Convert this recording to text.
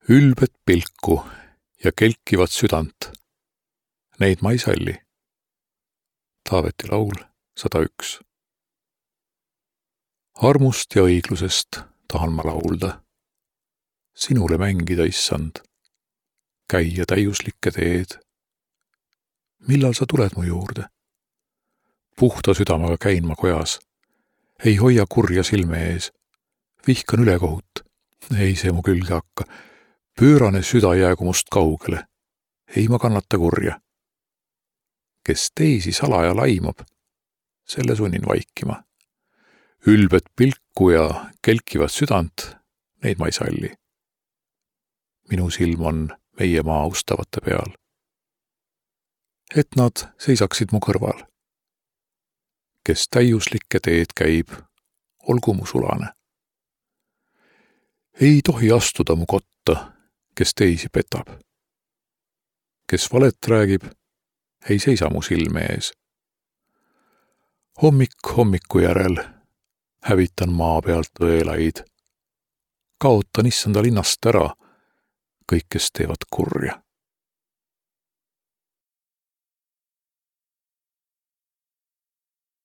Ülbet pilku ja kelkivat südant, neid ma ei salli. Taaveti laul 101. Armust ja õiglusest tahan ma laulda, sinule mängida, issand, käia täiuslikke teed. Millal sa tuled mu juurde? Puhta südamaga käin ma kojas, ei hoia kurja silme ees, vihkan ülekohut, ei see mu külge hakka, pöörane süda jäägu must kaugele, ei ma kannata kurja. Kes teisi salaja laimab, selle sunnin vaikima. Ülbet pilku ja kelkivat südant, neid ma ei salli. Minu silm on meie maa austavate peal. Et nad seisaksid mu kõrval. Kes täiuslikke teed käib, olgu mu sulane. Ei tohi astuda mu kotta, kes teisi petab. Kes valet räägib, ei seisa mu silme ees. Hommik hommiku järel hävitan maa pealt õelaid. Kaotan issanda linnast ära kõik, kes teevad kurja.